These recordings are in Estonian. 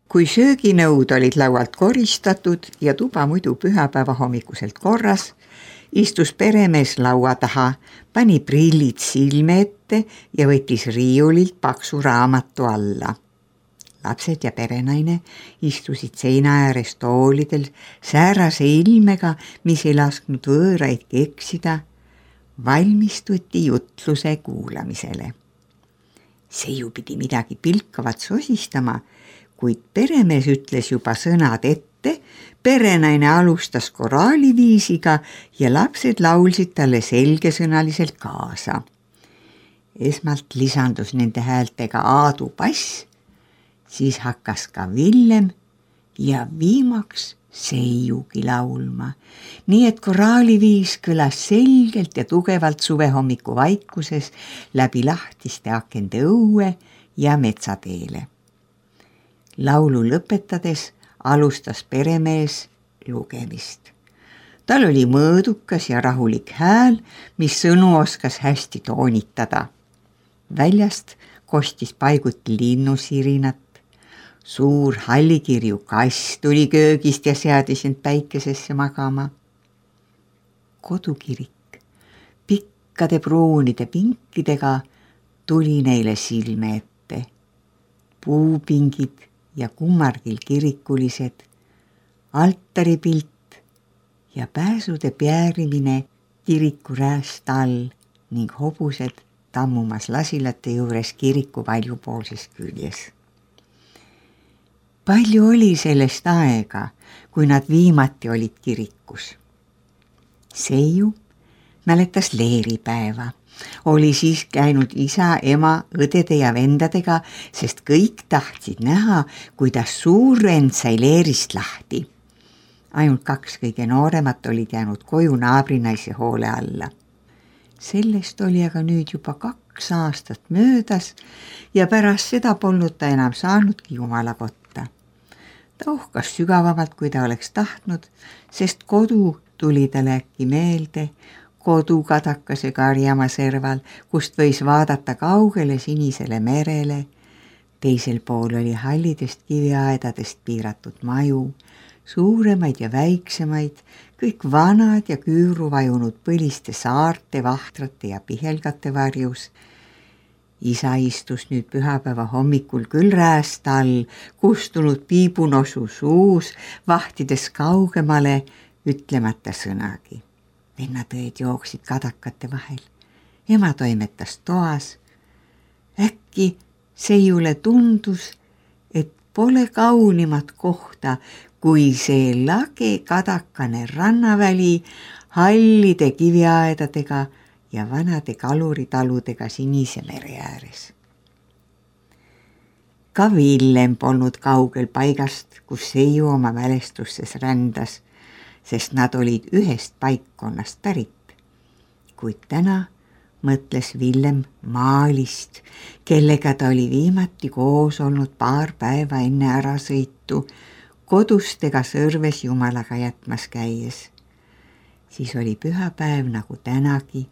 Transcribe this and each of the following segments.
Kui sööginõud olid laualt koristatud ja tuba muidu pühapäeva hommikuselt korras, istus peremees laua taha, pani prillid silme ette ja võttis riiulilt paksu raamatu alla. Lapsed ja perenaine istusid seina ääres toolidel säärase ilmega, mis ei lasknud võõraidki eksida, valmistuti jutluse kuulamisele. Seiu pidi midagi pilkavat sosistama, kuid peremees ütles juba sõnad ette, perenaine alustas koraaliviisiga ja lapsed laulsid talle selgesõnaliselt kaasa. Esmalt lisandus nende häältega Aadu Pass, siis hakkas ka Villem ja viimaks Seiugi laulma, nii et koraaliviis kõlas selgelt ja tugevalt suvehommiku vaikuses läbi lahtiste akende õue ja metsateele. Laulu lõpetades alustas peremees lugemist. Tal oli mõõdukas ja rahulik hääl, mis sõnu oskas hästi toonitada. Väljast kostis paiguti linnusirinat. Suur hallikirju kass tuli köögist ja seadis end päikesesse magama. Kodukirik pikkade pruunide pinkidega tuli neile silme ette. Puupingid ja kummargil kirikulised, altaripilt ja pääsude päärimine kiriku rääst all ning hobused tammumas lasilate juures kiriku paljupoolses küljes. Palju oli sellest aega, kui nad viimati olid kirikus. Seiu mäletas leeripäeva. Oli siis käinud isa, ema, õdede ja vendadega, sest kõik tahtsid näha, kuidas suur vend sai leerist lahti. Ainult 2 kõige nooremat olid jäänud koju naabrinaise hoole alla. Sellest oli aga nüüd juba 2 aastat möödas ja pärast seda polnud ta enam saanudki Jumala kotta. Ta uhkas sügavamalt, kui ta oleks tahtnud, sest kodu tuli talle äkki meelde, kodu kadakase karjamaa serval, kust võis vaadata kaugele sinisele merele. Teisel pool oli hallidest kiviaedadest piiratud maju, suuremaid ja väiksemaid, kõik vanad ja küüru vajunud põliste saarte, vahtrate ja pihelgate varjus. Isa istus nüüd pühapäeva hommikul küll rääst all, kustunud piibunosu suus, vahtides kaugemale, ütlemata sõnagi. Vennatõed jooksid kadakate vahel. Ema toimetas toas. Äkki Seiule tundus, et pole kaunimat kohta, kui see lage kadakane rannaväli hallide kiviaedadega ja vanade kaluritaludega sinise mere ääres. Ka Villem polnud kaugel paigast, kus Seiu oma mälestusses rändas, sest nad olid ühest paikkonnast pärit. Kuid täna mõtles Villem Maalist, kellega ta oli viimati koos olnud paar päeva enne ärasõitu, kodustega Sõrves Jumalaga jätmas käies. Siis oli pühapäev nagu tänagi.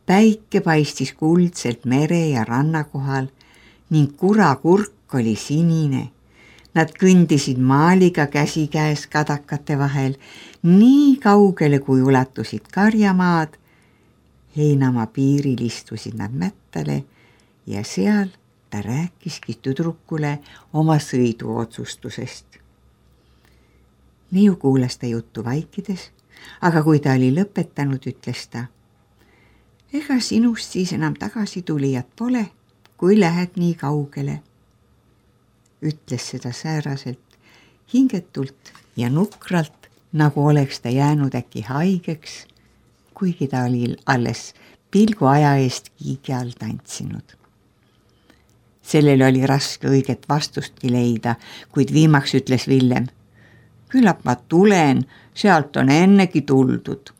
Päike paistis kuldselt mere ja ranna kohal ning kurakurk oli sinine. Nad kõndisid Maaliga käsikäes kadakate vahel, nii kaugele kui ulatusid karjamaad. Heinamaa piiril istusid nad mättale ja seal ta rääkiski tüdrukule oma sõidu otsustusest. Neiu kuulas ta juttu vaikides, aga kui ta oli lõpetanud, ütles ta: ega sinust siis enam tagasi tulijat pole, kui lähed nii kaugele. Ütles seda sääraselt, hingetult ja nukralt, nagu oleks ta jäänud äkki haigeks, kuigi ta oli alles pilgu aja eest kiigi all tantsinud. Sellele oli raske õiget vastustki leida, kuid viimaks ütles Villem: küllap ma tulen, sealt on ennegi tuldud.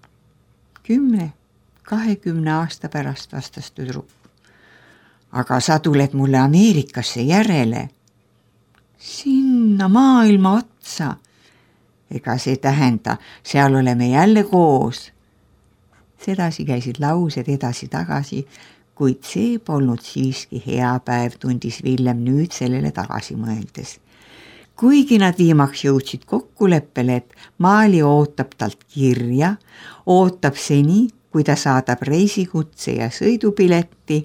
10-20 aasta pärast, vastas tüdruk. Aga sa tuled mulle Ameerikasse järele. Sinna maailma otsa. Ega see tähenda, seal oleme jälle koos. Sedasi käisid laused edasi-tagasi, kuid see polnud siiski hea päev, tundis Villem nüüd sellele tagasi mõeldes. Kuigi nad viimaks jõudsid kokkuleppele, et Maali ootab talt kirja, ootab seni, kui ta saadab reisikutse ja sõidupileti,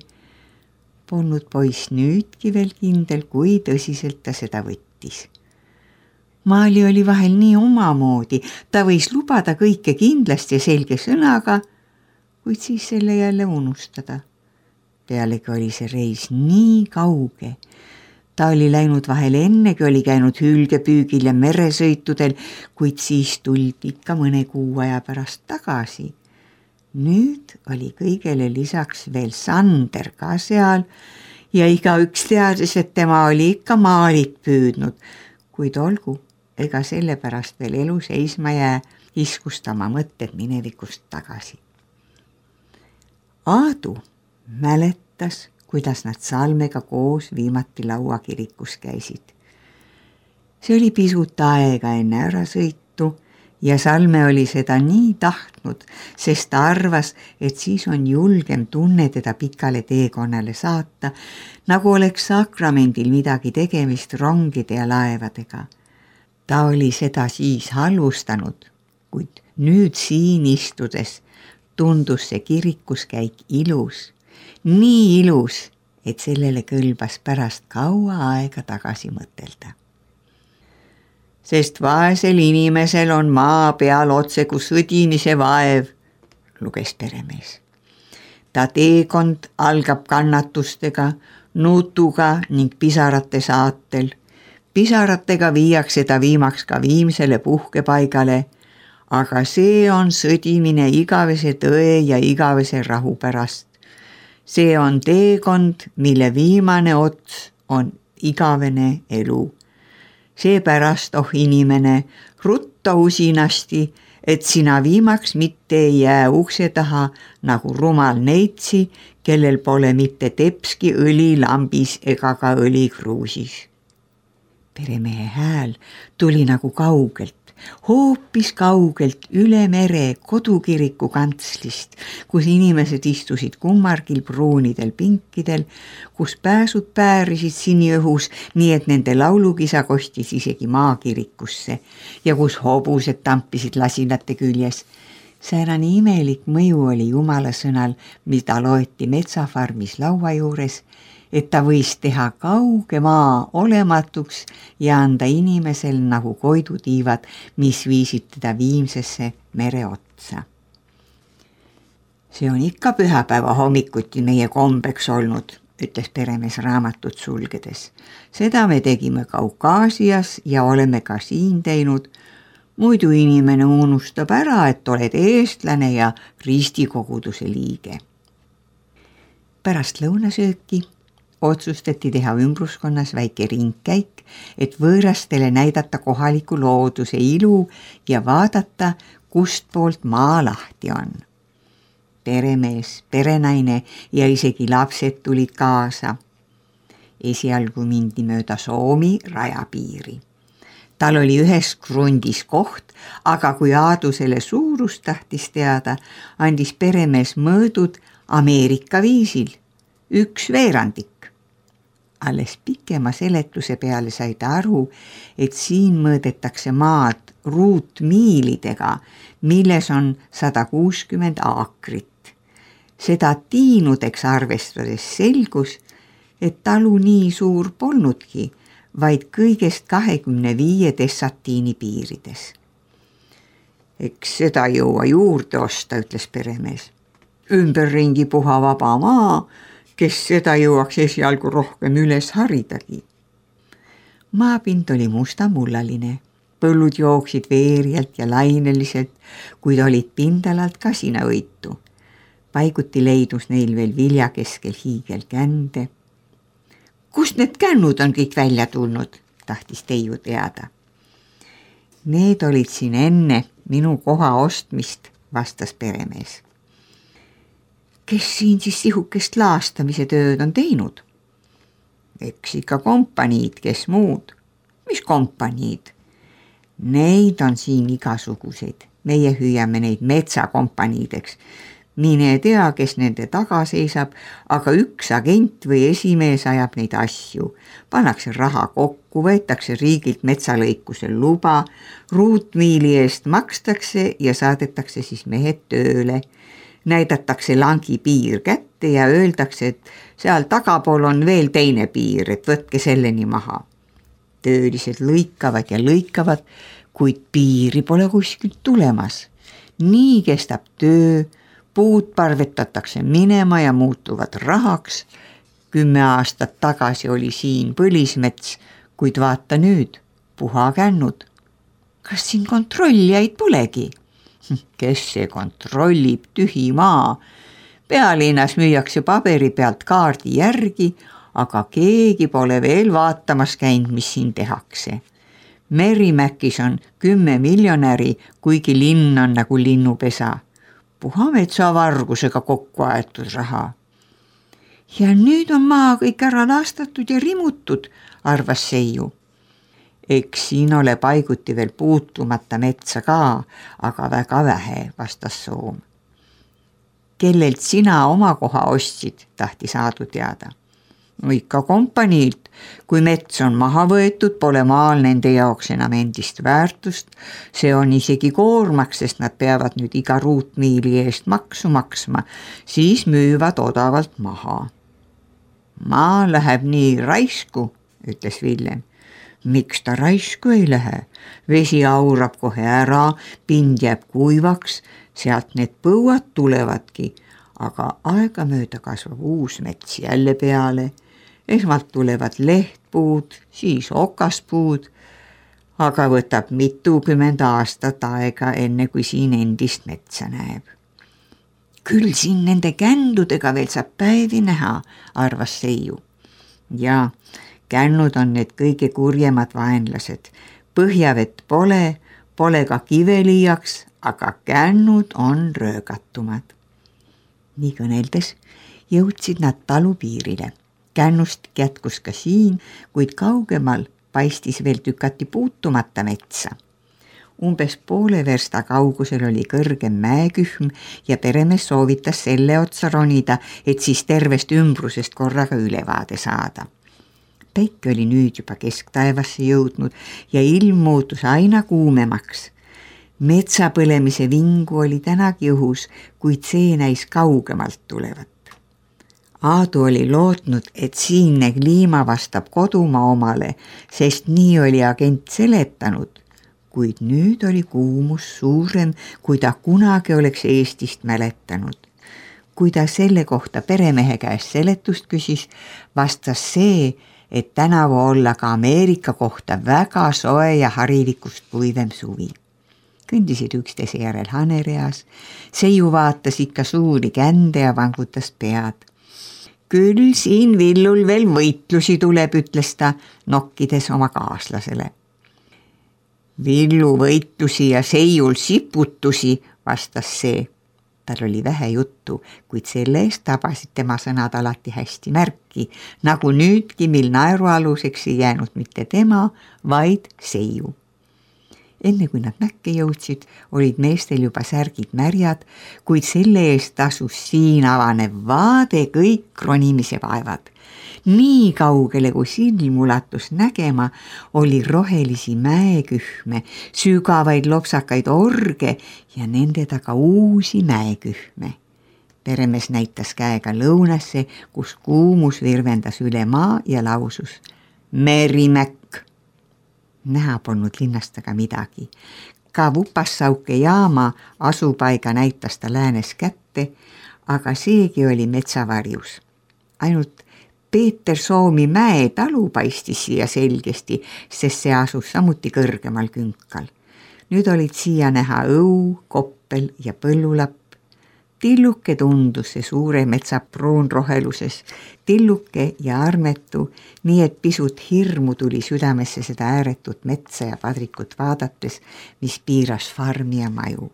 polnud poiss nüüdki veel kindel, kui tõsiselt ta seda võttis. Maali oli vahel nii omamoodi, ta võis lubada kõike kindlasti ja selge sõnaga, kuid siis selle jälle unustada. Pealegi oli see reis nii kauge. Ta oli läinud vahel ennegi, oli käinud hülgepüügil ja meresõitudel, kuid siis tuldi ikka mõne kuu aja pärast tagasi. Nüüd oli kõigele lisaks veel Sander ka seal ja igaüks teadis, et tema oli ikka Maalit püüdnud, kuid olgu, ega sellepärast veel elu seisma jää, iskustama mõtted minevikust tagasi. Aadu mäletas, kuidas nad Salmega koos viimati lauakirikus käisid. See oli pisut aega enne ärasõitu ja Salme oli seda nii tahtnud, sest ta arvas, et siis on julgem tunne teda pikale teekonnale saata, nagu oleks sakramendil midagi tegemist rongide ja laevadega. Ta oli seda siis halvustanud, kuid nüüd siin istudes tundus see kirikuskäik ilus, nii ilus, et sellele kõlbas pärast kaua aega tagasi mõtelda. Sest vaesel inimesel on maa peal otse kui sõdimise vaev, luges peremees. Ta teekond algab kannatustega, nutuga ning pisarate saatel. Pisaratega viiakse ta viimaks ka viimsele puhkepaigale, aga see on sõdimine igavese tõe ja igavese rahu pärast. See on teekond, mille viimane ots on igavene elu. Seepärast, inimene, rutta usinasti, et sina viimaks mitte ei jää ukse taha nagu rumal neitsi, kellel pole mitte tepski õli lambis ega ka õli kruusis. Peremehe hääl tuli nagu kaugelt, hoopis kaugelt üle mere kodukiriku kantslist, kus inimesed istusid kummargil pruunidel pinkidel, kus pääsud päärisid siniõhus, nii et nende laulukisa kostis isegi maakirikusse ja kus hobused tampisid lasinate küljes. Säärane imelik mõju oli Jumala sõnal, mida loeti metsafarmis laua juures, et ta võis teha kauge maa olematuks ja anda inimesel nagu koidutiivad, mis viisid teda viimsesse mere otsa. See on ikka pühapäeva hommikuti meie kombeks olnud, ütles peremees raamatut sulgedes. Seda me tegime Kaukaasias ja oleme ka siin teinud. Muidu inimene unustab ära, et oled eestlane ja ristikoguduse liige. Pärast lõunasööki otsustati teha ümbruskonnas väike ringkäik, et võõrastele näidata kohaliku looduse ilu ja vaadata, kust poolt maa lahti on. Peremees, perenaine ja isegi lapsed tulid kaasa. Esialgu mindi mööda Soomi rajapiiri. Tal oli ühes krundis koht, aga kui Aadu selle suurust tahtis teada, andis peremees mõõdud Ameerika viisil, 1/4. Alles pikema seletuse peale sai ta aru, et siin mõõdetakse maad ruutmiilidega, milles on 160 aakrit. Seda tiinudeks arvestades selgus, et talu nii suur polnudki, vaid kõigest 25 dessatiini piirides. Eks seda jõua juurde osta, ütles peremees. Ümberringi puha vaba maa, kes seda jõuaks esialgu rohkem üles haridagi. Maapind oli mustamullaline, põllud jooksid veerjalt ja laineliselt, kuid olid pindalalt kasinaõitu. Paiguti leidus neil veel vilja keskel hiigelkände. Kust need kännud on kõik välja tulnud, tahtis Teiu teada. Need olid siin enne minu koha ostmist, vastas peremees. Kes siin siis sihukest laastamise tööd on teinud? Eks ikka kompaniid, kes muud. Mis kompaniid? Neid on siin igasuguseid. Meie hüüame neid metsakompaniideks. Mine tea, kes nende taga seisab, aga üks agent või esimees ajab neid asju. Pannakse raha kokku, kokku, võetakse riigilt metsalõikuse luba, ruutmiili eest makstakse ja saadetakse siis mehed tööle. Näidatakse langi piir kätte ja öeldakse, et seal tagapool on veel teine piir, et võtke selleni maha. Töölised lõikavad ja lõikavad, kuid piiri pole kuskilt tulemas. Nii kestab töö, puud parvetatakse minema ja muutuvad rahaks. 10 aastat tagasi oli siin põlismets, kuid vaata nüüd, puha kännud. Kas siin kontrollijaid polegi? Kes see kontrollib, tühi maa? Pealinnas müüakse paberi pealt kaardi järgi, aga keegi pole veel vaatamas käinud, mis siin tehakse. Merimäkis on 10 miljonäri, kuigi linn on nagu linnupesa. Puha metsavargusega kokku aetud raha. Ja nüüd on maa kõik ära laastatud ja rimutud, arvas Seiu. Eks siin ole paiguti veel puutumata metsa ka, aga väga vähe, vastas Soom. Kellelt sina oma koha ostsid, tahtis Aadu teada. No ikka kompaniilt, kui mets on maha võetud, pole maal nende jaoks enam endist väärtust. See on isegi koormaks, sest nad peavad nüüd iga ruutmiili eest maksu maksma, siis müüvad odavalt maha. Maa läheb nii raisku, ütles Villem. Miks ta raisku ei lähe? Vesi aurab kohe ära, pind jääb kuivaks, sealt need põuad tulevadki, aga aegamööda kasvab uus mets jälle peale. Esmalt tulevad lehtpuud, siis okaspuud, aga võtab 20 aastat aega, enne kui siin endist metsa näeb. Küll siin nende kändudega veel saab päevi näha, arvas Seiu. Ja kännud on need kõige kurjemad vaenlased. Põhjavett pole ka kiveliiaks, aga kännud on röögatumad. Nii kõneldes jõudsid nad talupiirile. Kännust jätkus ka siin, kuid kaugemal paistis veel tükati puutumata metsa. Umbes poole versta kaugusel oli kõrgem mäekühm ja peremees soovitas selle otsa ronida, et siis tervest ümbrusest korraga ülevaade saada. Päike oli nüüd juba kesktaevasse jõudnud ja ilm muutus aina kuumemaks. Metsapõlemise vingu oli tänagi õhus, kuid see näis kaugemalt tulevat. Aadu oli lootnud, et siinne kliima vastab kodumaa omale, sest nii oli agent seletanud, kuid nüüd oli kuumus suurem, kui ta kunagi oleks Eestist mäletanud. Kui ta selle kohta peremehe käest seletust küsis, vastas see, et tänavu olla ka Ameerika kohta väga soe ja harilikust puivem suvi. Kõndisid üksteise järel hanereas, Seiu vaatas ikka suuri kände ja vangutas pead. Küll siin Villul veel võitlusi tuleb, ütles ta, nokkides oma kaaslasele. Villu võitlusi ja Seiul siputusi, vastas see. Tal oli vähe juttu, kuid selle eest tabasid tema sõnad alati hästi märki, nagu nüüdki, mil naerualuseks ei jäänud mitte tema, vaid Seiu. Enne kui nad mäkke jõudsid, olid meestel juba särgid märjad, kuid selle eest tasus siin avanev vaade kõik ronimise vaevad. Nii kaugele, kui silm ulatus nägema, oli rohelisi mäekühme, sügavaid lopsakaid orge ja nende taga uusi mäekühme. Peremees näitas käega lõunasse, kus kuumus virvendas üle maa ja lausus Merimäkk. Näha polnud linnast aga midagi. Ka Vupassauke jaama asupaiga näitas ta läänes kätte, aga seegi oli metsavarjus. Ainult Peeter Soomi mäe talu paistis siia selgesti, sest see asus samuti kõrgemal künkal. Nüüd olid siia näha õu, koppel ja põllulapp. Tilluke tundus see suure metsa pruunroheluses, tilluke ja armetu, nii et pisut hirmu tuli südamesse seda ääretut metsa ja padrikut vaadates, mis piiras farmi ja maju.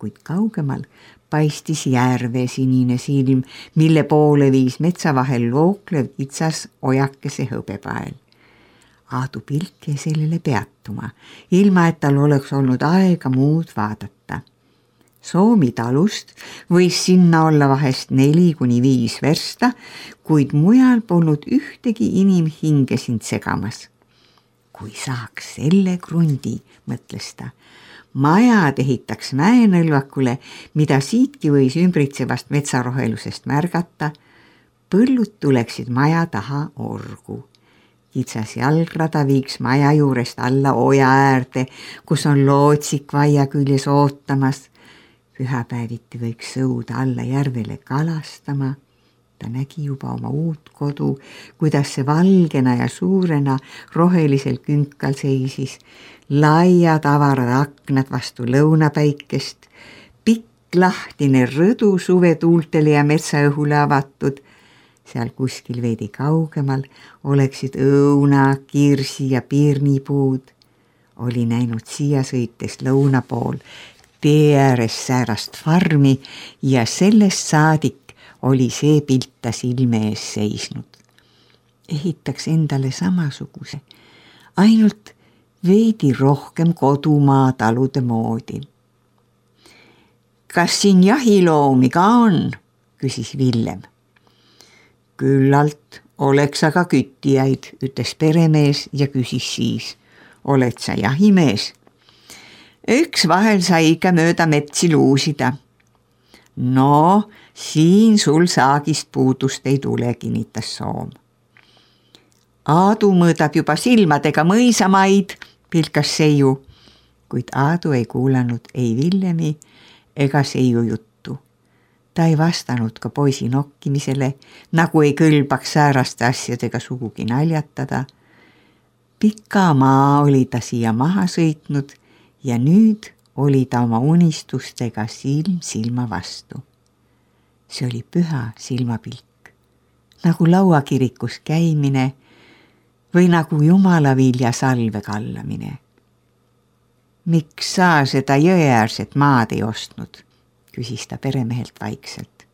Kuid kaugemal paistis järve sinine silm, mille poole viis metsa vahel looklev kitsas ojakese hõbepael. Aadu pilk jäi sellele peatuma, ilma et tal oleks olnud aega muud vaadata. Soomi talust võis sinna olla vahest 4-5 versta, kuid mujal polnud ühtegi inimhinge sind segamas. kui saaks selle krundi, mõtles ta, majad ehitaks mäenõlvakule, mida siitki võis ümbritsevast metsarohelusest märgata, põllud tuleksid maja taha orgu. Kitsas jalgrada viiks maja juurest alla oja äärde, kus on lootsik vaia küljes ootamas. Pühapäeviti võiks sõuda alla järvele kalastama. Ta nägi juba oma uut kodu, kuidas see valgena ja suurena rohelisel künkal seisis, laiad avarad aknad vastu lõunapäikest, pikk lahtine rõdu suvetuultele ja metsaõhule avatud. Seal kuskil veidi kaugemal oleksid õuna, kirsi ja piirnipuud. Oli näinud siia sõites lõuna pool tee ääres säärast farmi ja sellest saadik oli see pilt ta silme ees seisnud. Ehitaks endale samasuguse, ainult veidi rohkem kodumaa talude moodi. Kas siin jahiloomi ka on? Küsis Villem. Küllalt oleks aga küttijaid, ütles peremees ja küsis siis. Oled sa jahimees? Üks vahel sai ikka mööda metsi luusida. No, siin sul saagist puudust ei tule, kinnitas Soom. Aadu mõõdab juba silmadega mõisamaid, pilkas Seiu, kuid Aadu ei kuulanud ei Villemi ega Seiu juttu. Ta ei vastanud ka poisi nokkimisele, nagu ei kõlbaks sääraste asjadega sugugi naljatada. Pika maa oli ta siia maha sõitnud ja nüüd oli ta oma unistustega silm silma vastu. See oli püha silmapilk, nagu lauakirikus käimine või nagu Jumala vilja salve kallamine. Miks sa seda jõeäärset maad ei ostnud? Küsis ta peremehelt vaikselt.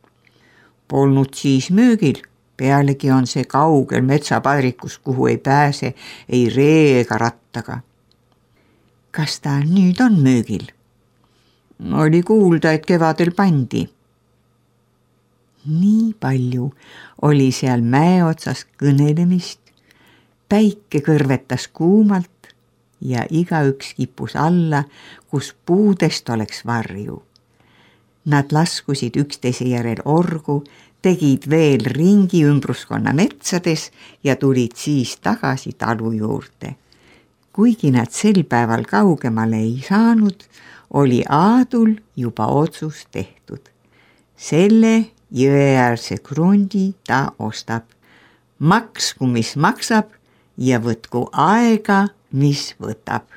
Polnud siis müügil, pealegi on see kaugel metsapadrikus, kuhu ei pääse ei ree ega rattaga. Kas ta nüüd on müügil? Oli kuulda, et kevadel pandi. Nii palju oli seal mäe otsas kõnelemist, päike kõrvetas kuumalt ja igaüks kippus alla, kus puudest oleks varju. Nad laskusid üksteise järel orgu, tegid veel ringi ümbruskonna metsades ja tulid siis tagasi talu juurde. Kuigi nad sel päeval kaugemale ei saanud, oli Aadul juba otsus tehtud. Selle jõeäärse krundi ta ostab. Maksku, mis maksab ja võtku aega, mis võtab.